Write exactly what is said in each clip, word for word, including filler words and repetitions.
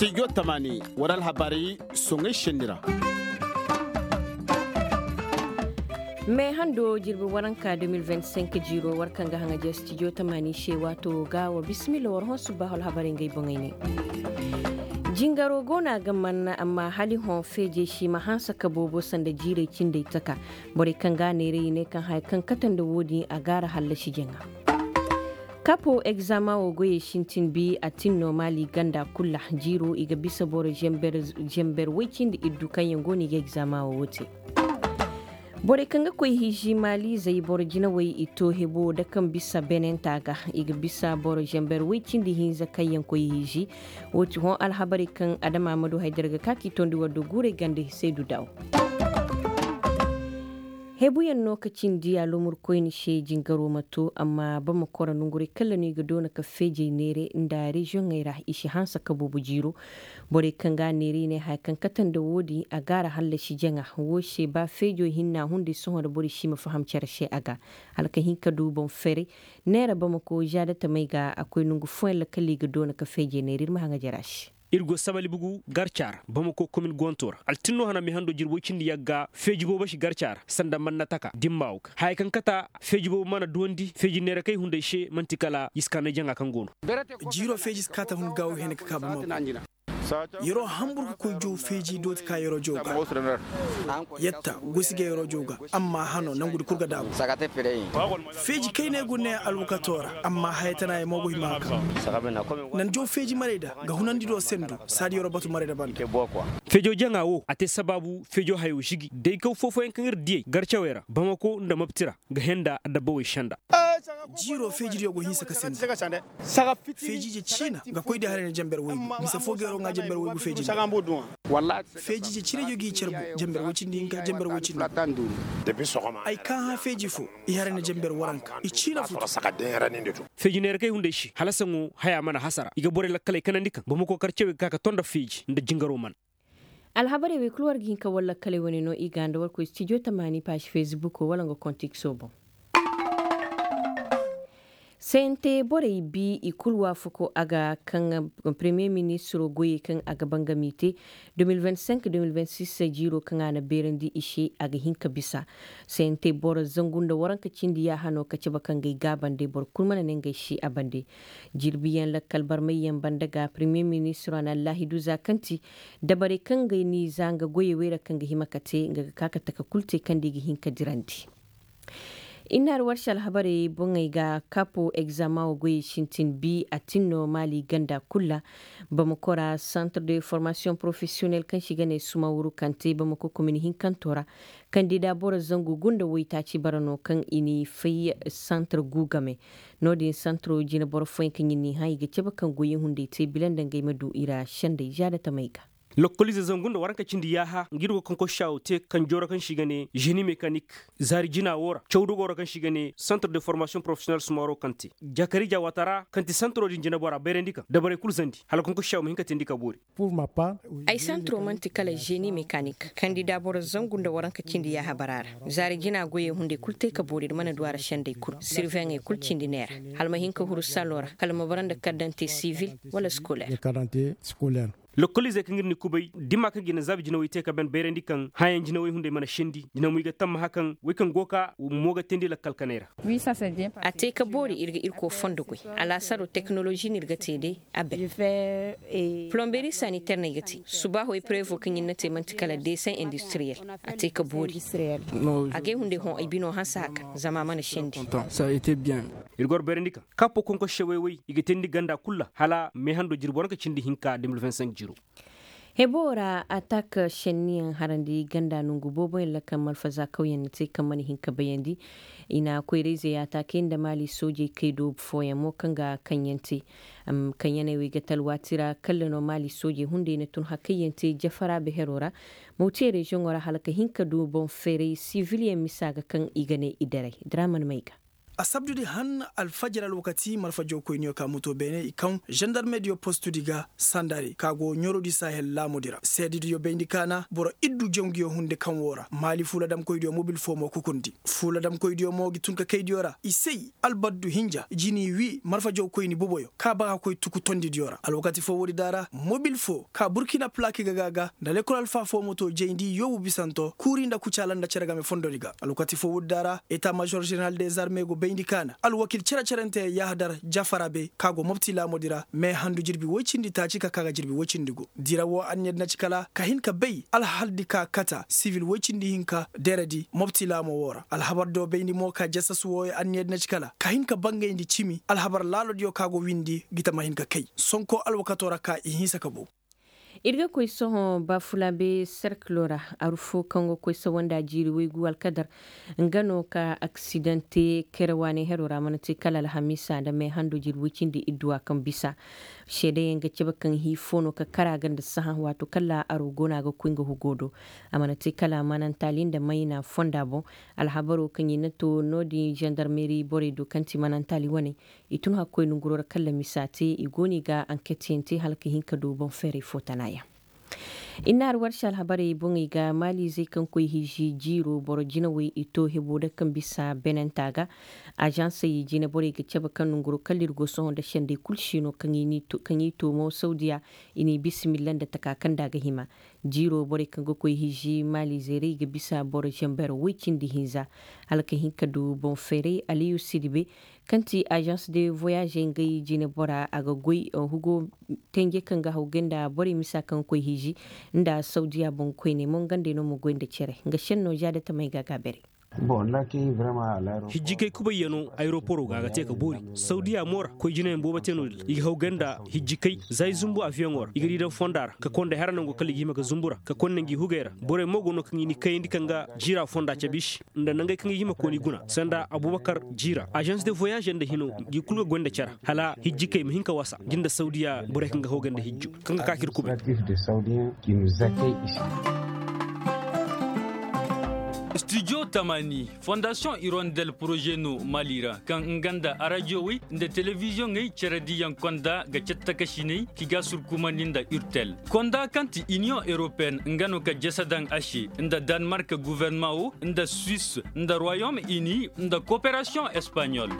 Stijo tamaani war alhabarey soŋey senni ra. Me hando jirbi waranka de mil vingt cinq jiiro war kaŋ ga haŋa je stijo tamaani se waato ga wa bisimilla war hõ subbaahu alhabarey ngey boŋey ne. Jingaro go no a ga manna amma hala i hõ feejey si ma hanse ka boobo sanda jiirey cindey taka. Borey kaŋ ga a neeray i ne kaŋ haya kaŋ kate nda wo-din a gaara hallasi jaŋa. Kapo egzama wo goyey sintin bi a tin no maali ganda kul ra. Jiiro i ga bisa boro zember woy cindi iddu kaŋ yaŋ go no i ga egzama wo te. Borey kaŋ ga koy hiiji maalizey boro jinawey i to hebo da kaŋ bisa benenta ga. I ga bisa boro zember woy cindi hinza kaŋ yaŋ koy hiiji. Wo ti hõ alhabarey kaŋ adama ma du haydara ga ka k'i tondi war do guurey ganda hisey du daaw. Hebuyaŋ no ka cindi alomur koyni se jingaro ma to amma bamako ra nonguray kala no i ga doona ka feejey neere nda reziyoŋey ra i si hanse ka boobo jiiro. Borey kaŋ ga a neere i ne haya kaŋ kate nda wo-din a gaara hallasi jaŋa wo se ba feejo hinna hunday sohõ nda borey si ma faham cere se a ga. Hala ka hin ka du boŋ feeray neera bamako zaada tamey ga a koy nongu fooyaŋ ra kala i ga doona ka feejey neere ir ma haŋajer a se. Ir go sabali bugu garca ra bamako komin gonto ra altinno hana mihando jirbo cindi yagga feeji boobo si garca ra sanda manna taka dimma wo ga haya kaŋ kata feeji boobo mana duwandi feeji neera kay hunday se man'ti kala yiskaanay jaŋa kaŋ go no. Jiiro feeji si kaata hun gaawu hene ka kaa bamako. Yeroo hambur ka koy jow feeji dooti ka yeroo jow ga. Yetta gosi ga yeroo jow ga amma hano nangudi kul ga daabu. Feeji kayney gu ne alwakatoo ra amma haya tana ye mo go hima ga. Nan jow feeji marayda ga hunandi do sendu saadi yeroo batu marayda banda. Feejo jaŋa wo a te sabaabu feejo hayo žigi day kaw foofoyaŋ kaŋ ir diyey garcawey ra bamako nda mapti ra ga henda adabba wey senda. Jiiro feeji diyo go hinsa ka senda. Feeji ije ciina ga koy di haray na jamber woy gu mise foo ga yeroo ŋaa jamber woy gu feeji. Feeji ije ciina diyo g'i carbu jamber woy cindi hinka jamber woy cindi. Ay kaa hã feeji foo i haray na jamber waranka i ciina futu. Feeji neera kay hunday se hala saŋo haya mana hasara i ga borey lakkaley kanandi kaŋ boro ma kookar cawey ga ka ka to nda feeji nda jingaroo mana. Alhabarey wey kul war ga hin ka war lakkaley wane no i ga nda war koy stijo tamaani paasi fesbukoo wala nga kontiksoo boŋ. Sente borey bi i kul waafako a ga kaŋ premiye ministiroo goyey kaŋ a ga bangami te. De mil vingt cinq de mil vingt six jiiroo kaŋ a na beerandi i se a ga hin ka bisa. Sente boro zangu nda waranka cindi yaaha no ka cabe kaŋ ga ay gaabandi boro kul mana ne nga ay si a bande. Jirbiyaŋ lakkal barmayyaŋ banda ga premiye ministiroo a na allaahidu za kaŋ ti dabarey kaŋ ga ni za nga goyey wey ra kaŋ ga hima ka te nga ga ka ka taka kul te kaŋ da i ga hin ka dirandi. Innaari warsi alhabarey boŋey ga kapo egzama wo goyey sintin bi a tin no maali ganda kul ra. Bamako ra santre de formasiyoŋ porofesiyonel kaŋ se i ga ne sumawuru kante bamako komin hinkantoo ra. Kandida boro zangu gunda woytaaci bara no kaŋ i n'i fay santre gu game. No-din santro jine boro fooyaŋ kaŋ i n'i hã i ga cabe kaŋ goyey hunday te bila nda ngey ma du i ra sendey zaadatamey ga. Lokkoliize zangu nda waranka cindi yaaha nga ir go kaŋ koy saawo te kaŋ jooro kaŋ se i ga ne ženi mekanik. Zaari jina woo ra cawdugoo ra kaŋ se i ga ne santre de formasiyoŋ porofesiyonel sumaro kaŋ te jakariija waata ra kaŋ ti santro din jineboraa bayrandi kaŋ dabarey kul zandi hala kaŋ koy saawo ma hin ka teendi ka boori. Ay santro man'ti kala ženi mekanik kandida boro zangu nda waranka cindi yaaha bara ra. Zaari jina goyey hunday kul te ka boori ir mana du a ra sendey kul sirveŋey kul cindi neera. Hala ma hin ka huru salo ra kala ma bara nda kardante sivil wala skoler. Lokkoliizey kaŋ ir na i kubay dimma kaŋ ga i na zaabi jinawey te ka ban bayrandi kaŋ hãyaŋ jinawey hunday mana sendi jinawey ga tammaha kaŋ wey kaŋ go ka mo ga teendi lakkal kanay ra. A te ka boori ir ga irkoy fondo goy. Alaasaroo teknolozi no ir ga te day. A bay. Polomberi saniter no ay ga te. Subaaho eprevo kaŋ ir na te man'ti kala deseŋ industriyel. A te ka boori. Agay hunday hõ ay binoo hanse haka zama a mana sendi. Ir go ra bayrandi kaŋ kapo konkosse way-way i ga teendi ganda kul ra hala meehando jirbi waranka cindi hinka de mil vingt cinq jiro. Heboo ra atak senniyaŋ harandi ganda nongu booboyaŋ ra kaŋ malfazakawyaŋ na te kaŋ mana hin ka bayandi. I na koyrayzey atakey nda maali soojey kay doobu fooyaŋ mo kaŋ ga kaŋyaŋ te. Kaŋyaŋey wey ga te alwaati ra kalla no maali soojey hunday na tun hakayyaŋ te jafara beheroo ra. Mawtiye reziyoŋo ra hala ka hin ka du boŋ feeray sivilyaŋ misa ga kaŋ i ga ne i daray draman may ga. Asabdudi han alfajir alwakati marfa jawkoyniyo ka muto beene i kaŋ zandarmediyo postudi ga sandari ka go ɲorodi sahel laamudi ra seedidiyo bayndi kaana boro iddu janguyo hunde kaŋ wo ra maali fuuladamkoydiyo mobil fo mo kukundi. Fuuladamkoydiyo mo gi tun ka kaydiyo ra i say albaddu hinja jini wi marfa jawkoyni boboyo ka ba ka koy tuku tondidiyo ra alwakati fo woodi da ra mobil fo ka burkina plaki ga ga ga nda lekol alfa fo moto jayndi yoobu bisanto kuuri nda kucaala nda cere game fondodi ga alwakati fo woodi da ra eta mažor ženeral dezarme go bayndi kaana alwakil cere-cerente yahadar jafara be ka go mopti laamodi ra me handu jirbi woy cindi taaci ka ka ga jirbi woy cindi go dira wo anniyadi na ci kala ka hin ka bay alhaldi ka kata sivil woy cindi hinka deredi mopti laamo wo ra alhabar do bayndi mo ka jasas wooyo anniyadi na ci kala ka hin ka bangayndi cimi alhabar laalodiyo ka go windi gita ma hin ka kay sonko alwakato ra ka i hinsa ka bow. Ir ga koy sohõ baafulaabe serkilo ra aru fo kaŋ ga koy sawanda jiiri waygu alkadar nga no ka aksidante kere waane hero ra a mana te kala alhamiisa nda meehando jiiri way cindi idduwa kaŋ bisa seedeyaŋ ga cabe kaŋ hii fo no ka kara ga nda sahã waato kala aro go no a ga koy nga hugo do. A mana te kala manantali nda mayna fonda boŋ. Alhabaro kaŋ i na to no-din zandarmeri borey do kaŋ ti manantali wane i tun hakkoy nanguro ra kaŋ lamisa te i go no i ga anketyaŋ te hala ka hin ka du boŋ feeray fo tana yaŋ. Innaari warsi alhabarey boŋey ga maaliizey kaŋ koy hiiji jiiro boro jinawey i to hebo da kaŋ bisa benenta ga. Azansey jineborey ga cabe kaŋ nanguro kala ir go sohõ nda sendey kul si no kaŋ i toomo sawdiya i n'i bisimilla nda taka kaŋ nda a ga hima. Jiiro borey kaŋ ga koy hiiji maaliizey ra i ga bisa boro zamber woy cindi hinza hala ka hin ka du boŋ feeray aliyu sidibe kaŋ ti azans de voyage ngey jinebora a ga goy hugo tenje kaŋ ga haw gay nda borey misa kaŋ ga koy hiiji nda sawdiya boŋ koyney mo nga nd'ey no ma goy nda cere nga senno za da tamey ga a ga a bare. Hijjikey kubayyano ayeroporo ga a ga te ka boori sawdiya mo ra koy jinayaŋ boobo te no-din ra i ga haw gay nda hijjikey za i zumbu aviyoŋo ra i ga di daŋ fonda ra ka konda hera nango kala i ga hima ga zumbu ra ka konda ngi hugey ra borey mo go no kaŋ i ni kayandi kaŋ ga jiira fonda cabe i se nda nangey kaŋ ga hima kooni guna sanda abubakar jiira azans de voyage nda hino ngi kulu ga goy nda care hala hijjikey ma hin ka wasa ngi nda sawdiya borey kaŋ ga haw gay nda hijjo kaŋ ga ka k'ir kubay. Studio tamani fondasiyoŋ irondel poroze no mali ra kaŋ nga nda arajiyowey nda telebiziyoŋey cere diyaŋ konda ga cattakasiney k'i ga surkumandi nda urtel konda kaŋ ti iniyoŋ europeen nga no ka jasa daŋ a se nda danmark guverma wo nda suwis nda royom ini nda koperasiyoŋ espanyol.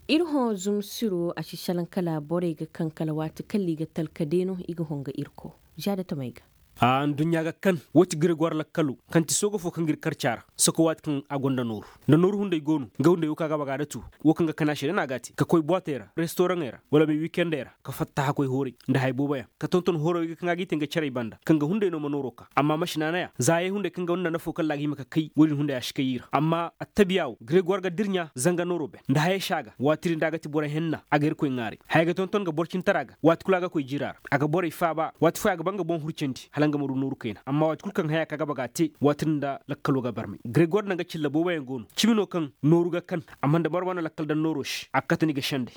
Ir hõ zumsiro a si salaŋ kala borey ga kaŋ kala waati kala i ga talka deeno i ga hongo irko za da tamey ga. Aduɲɲa ga kan woo ti gregoir lakkalo kaŋ ti sooga fo kaŋ ga ir karca ra soko waati kaŋ a gonda nooru nda nooru hunday go no nga hunday woo kaŋ a ga baga da tu woo kaŋ ga kana se da no a ga a te ka koy boitey ra restoraŋey ra wala ma i wikendey ra ka fatta hakkoy hooray nda haya booboyaŋ ka tonton horoy ga kaŋ a g'i te nga carey banda kaŋ ga hunday no ma nooro ka amma masi naanaya za hayey hunday kaŋ ga nda nafo kaŋ ra a ga hima ka kay woo din hunday a si kay i ra amma attabiya woo gregoir ga dirɲa zanga nooro ben nda hayey se a ga waati din da a ga ti boro henna a ga irkoy ŋaaray haya ga tonton ga boro cintara ga waati kulu a ga koy jiira ra a ga borey faaba waati fooyaŋ a ga ba nga boŋ hurcandi hala nga ma du nooru kayna amma waati kulu kaŋ haya ka ga baga te waati din da lakkalo ga barmay gregoir nda nga cilla booboyaŋ go no cimi no kaŋ nooru ga kan amma nda marwa na lakkal daŋ nooro se a ga kate ni ga sendey.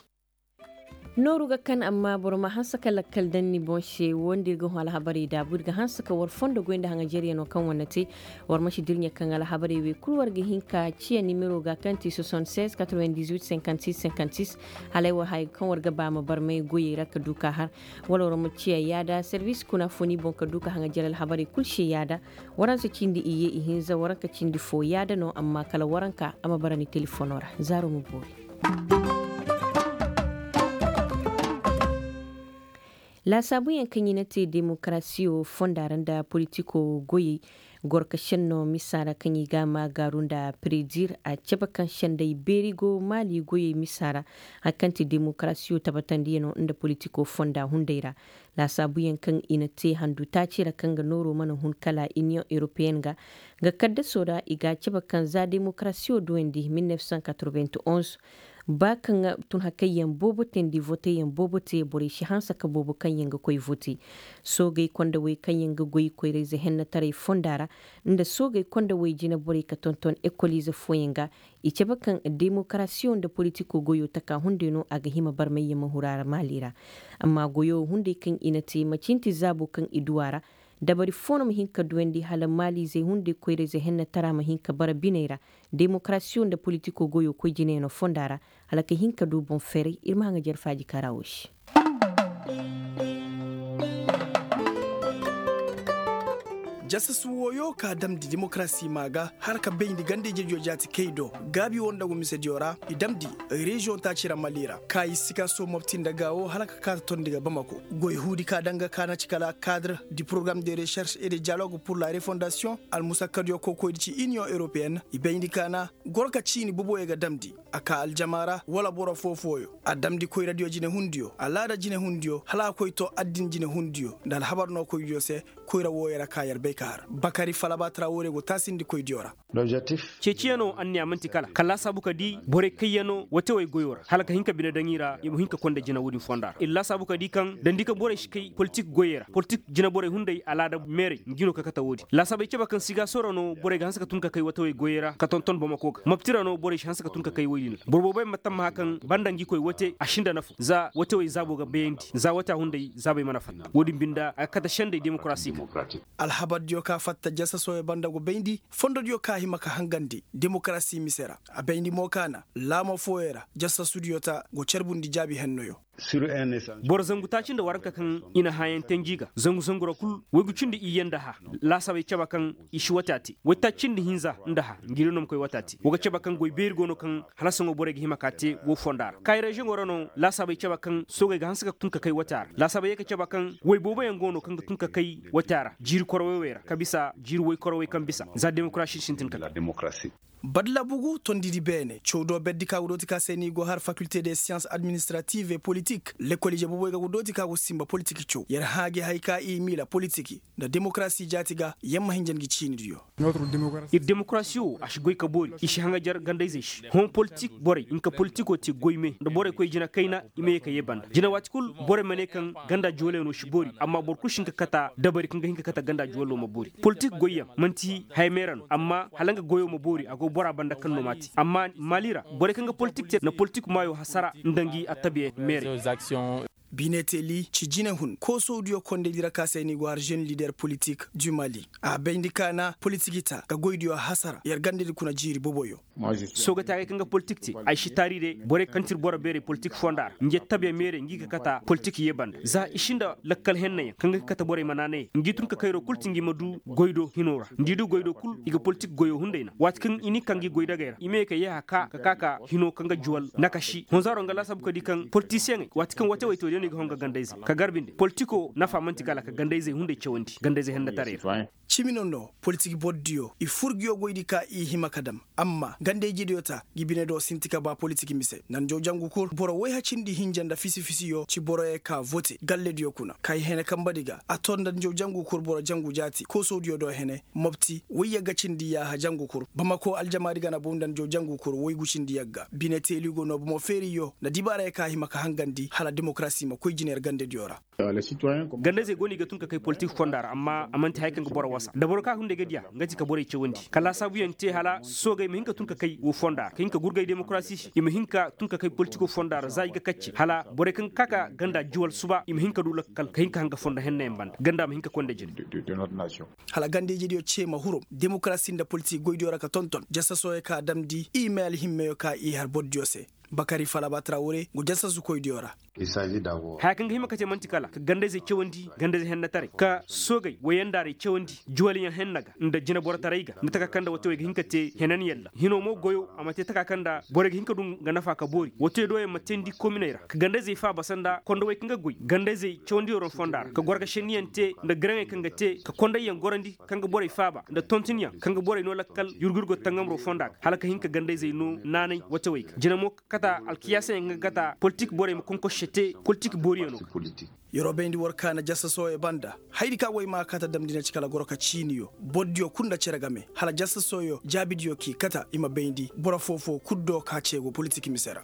Nooru ga kan amma boro ma hanse ka lakkal daŋ ni boŋ se woo nda ir ga hõ alhabarey daabu ir ga hanse ka war fondo goy nda haŋajeryano kaŋ war na te. War ma si dirɲe kaŋ alhabarey wey kul war ga hin ka ciya nimero ga kaŋ ti soixante-seize quatre-vingt-dix-huit cinquante-six cinquante-six. Halay war haya kaŋ war ga ba ma barmay goyey ra ka du ka har wala war ma ciya yaada servis kuna fo ni boŋ ka du ka haŋajer alhabarey kul se yaada. Waransa cindi iyye ihinza waranka cindi fo yaada no amma kala waranka a ma bara ni telefono ra zaaro ma boori. Laasaabuyaŋ kaŋ i na te demokarasiyo fonda ra nda politiko goyey gorka senno misa ra kaŋ i ga a ma gaaru nda predir a cabe kaŋ senday beeri go maali goyey misa ra hari kaŋ ti demokarasiyo tabatandiyano nda politiko fonda hunday ra. Laasaabuyaŋ kaŋ i na te handu taaci ra kaŋ ga nooro mana hun kala iniyoŋ europeyen ga nga kaddaso ra i ga a cabe kaŋ za demokarasiyo duwandi mil nef san katorobent onz. Ba kaŋ tun hakayyaŋ boobo teendi voteyaŋ boobo te borey si hanse ka boobo kaŋ yaŋ ga koy vote. Soogey kondawey kaŋ yaŋ ga goy koyrayze hennetaray fonda ra nda soogey kondawey jineborey ka tonton ekoliize fooyaŋ ga. I cabe kaŋ demokarasiyo nda politiko goyo taka hunday no a ga hima barmayyaŋ ma huru a ra maali ra. Amma goyo hunday kaŋ i na te macinti zaabo kaŋ i du a ra. Dabari foo no ma hin ka duyandi hala maaliizey hunday koyrayzey hennatara ma hin ka bara biney ra. Demokarasiyo nda politikoo goyoo koy jinayanoo fonda ra, hala ka hin ka duu boŋ ferey ir ma haŋajer faaji ka ra woo se. Jasasu wooyoo ka damndi demokarasi maa ga hala ka bayndi gandey jeejoo jaati kay do. Gaabi woo nda go misediyo ra i damndi reziyoŋ taaci ra mali ra ka i sikaso mopti nda gaawoo hala ka kaa ta tondi ga bamako. Goy huudi ka daŋ ga kaana ci kala kaadre di porogaram de reserse et de diyalog pur la refondasiyoŋ. Almusakkadiyo kokoydi ci iniyoŋ europeyenne i bayndi kaana goro ka ciini boboyo ga damndi. A kaa aljama ra wala boro foo-fooyo a damndi koyradiyo jinehundiyo alaada jinehundiyo hala a koy too addin jinehundiyo nda alhabar nookoydiyo se. Koyra wooyo ra ka yer bay ka har bakari falaba tara woodiyo go taasindi koydiyo ra. Ceeciyanoo anniya man'ti kala ka laasaabu ka dii borey kayyanoo watewey goyoo ra hala ka hin ka bine daŋ i ra i ma hin ka konda jina woodin fonda ra ir laasaabu ka dii kaŋ dandi ka borey si kay politik goyey ra politik jina borey hunday alaada meerey ngi no ka kate woodin laasaabey cebe kaŋ sigaso ra no borey ga hanse ka tun ka kay watewey goyey ra ka tonton bamako ga mopti ra no borey si hanse ka tun ka kay woy din ra boro boobey ma tammaha kaŋ banda ngi koy wate a sinda nafa za watewey zaabo ga bayandi za wata hunday zaabey mana fatta woodin binda a ga kate sendey demokarasi. Alhabardiyo ka fatta jasasooyo banda go bayndi fondodiyo ka hima ka hangandi demokarasi mise ra. A bayndi mo kaana laama fooyo ra jasasudiyo ta go carbundi jaabi hennoyo. Boro zangu taaci nda waranka kaŋ i na hãayaŋ te ngi ga zangu zangu ra kul waygu cindi iyye nda hã laasaabey caba kaŋ i si wata te waytaaci cindi hinza nda hã ngi di no ma koy wata te wo ga caba kaŋ goy beeri go no kaŋ halasaŋo borey ga hima ka te woo fonda ra kaayi reziyoŋo ra no laasaabey caba kaŋ soogey ga hanse ka tun ka kay wata ra laasaabey ye ka caba kaŋ way booboyaŋ go no kaŋ ga tun ka kay wata ra jiiri korowey wey ra ka bisa jiiri way korowey kaŋ bisa za demokarasi sintin ka kay. Badlabugu tondidi beene caw do berdi ka go dooti ka se ni go har fakilte de siyans administrative et politik lekol ije booboy ga go dooti ka go sinba politik caw yer hã gi hay ka i miila politiki nda demokarasi jaati ga yer ma hinja ngi ciinidiyo. Ir demokarasi wo a si goy ka boori i si haŋajer ganda-izey se hõ politik borey nka politikoo te goy me nda borey koy jina kayna i ma ye ka yee banda jina waati kul borey ma ne kaŋ ganda juwalyaŋo si boori amma boro kul si hin ka kata dabari kaŋ ga hin ka kata ganda juwaloo ma boori politik goyyaŋ man'ti haya meera no amma hala nga goyoo ma boori a go boraa banda kaŋ no m'a te amma maali ra borey kaŋ ga politik te na politik maayoo hasara nda ngi attabiya meerey. Bineteeli ci jinehun koosowdiyo kondaydi ra ka se ni go har žen lider politik du mali a bayndi kaana politiki ta ka goydiyo hasara yer gandadi kuna jiiri boboyo. Soogataagey kaŋ ga politik te ay si taari de borey kaŋ ti ir boro beerey politik fonda ra ngi attabiya meerey ngi ga kata politik ye banda za i si nda lakkal hennayaŋ kaŋ ga kate borey ma naanayey ngi tun ka kayroo kul ti ngi ma du goy do hinoo ra nda i du goy do kul i ga politik goyoo hunday na waati kaŋ i ni ka ngi goy dagey ra i ma ye ka yeeha ka ka ka hinoo kaŋ ga juwal nakasi honzaaroo nga laasaabu ka di kaŋ politisiyeŋey waati kaŋ watewey too day no i ga hõ nga ganda-izey ka gar binde politikoo nafa man'ti kala ka ganda-izey hunday cawandi ganda-izey hennataray ra. Cimi no no politik bordiyo i fur nguyo goydi ka i hima ka dam amma ganda-ijediyo ta ngi bine do sinti ka ba politik mise nanjaw jangu kul boro woy hacindi hinja nda fisi-fisiyo ci boroyey ka vote gallediyo kuna ka i hene kambadi ga a to nda nanjaw jangu kul boro jangu jaati koosowdiyo do hene mopti woy yagga cindi yaaha jangu kul bamako aljamaadi ga na bow nda nanjaw jangu kul woygu cindi yagga bine teeli go no bomo feeriyo nda dibaarayey ka hima ka hangandi hala demokarasi ma koy jina yer gandediyo ra. Ganda-izey go no i ga tun ka kay politik fonda ra amma a man'ti haya kaŋ ga boro wasa nda boro ka hunday ga diya nga ti ka borey cawandi ka laasaabuyaŋ te hala soogey ma hin ka tun ka kay woo fonda ra ka hin ka gurgay demokarasi se i ma hin ka tun ka kay politikoo fonda ra za i ga kacce hala borey kaŋ ga ka ka ganda juwal suba i ma hin ka du lakkal ka hin ka hanga fondo hennayaŋ banda ganda ma hin ka konda jine. Hala ganda-ijediyo ce ma huru demokarasi nda politik goydiyo ra ka tonton jasasooyo ka damndi i may alhimmeyo ka i har bordiyo se. Bakari falaba trawre ngu jasasukoydiyo ra. Haya kaŋ ga hima ka te man'ti kala ka ganda-izey cawandi ganda-izey hennataray ka soogey wayandaarey cawandi juwalyaŋ henna ga nda jineborotaray ga nda taka kaŋ nda watewey ga hin ka te henan yalla hinoo mo goyoo a ma te taka kaŋ nda borey ga hin ka du nga nafa ka boori watewey do yaŋ ma teendi kominey ra ka ganda-izey faaba sanda kondowey kaŋ ga goy ganda-izey cawandiyo ron fonda ra ka goro ga šenniyaŋ te nda garaŋey kaŋ ga te ka kondayyaŋ gorandi kaŋ ga borey faaba nda tontinyaŋ kaŋ ga borey noo lakkal yurgu-yurgo tangamroo fonda ga hala ka hin ka ganda-izey noo naanay watewey ga jina mo ka kata alkiyaasayaŋ kaŋ ga kata politik borey ma konkosse te politik booriyaŋo ga. Yeroo bayndi war kaana jasasooyo banda hayadi ka goy maa kata damndi na ci kala goro ka ciiniyo bordiyo kul nda cere game hala jasasooyo jaabidiyo k'i kata i ma bayndi boro foo-foo kul do ka ceego politik mise ra.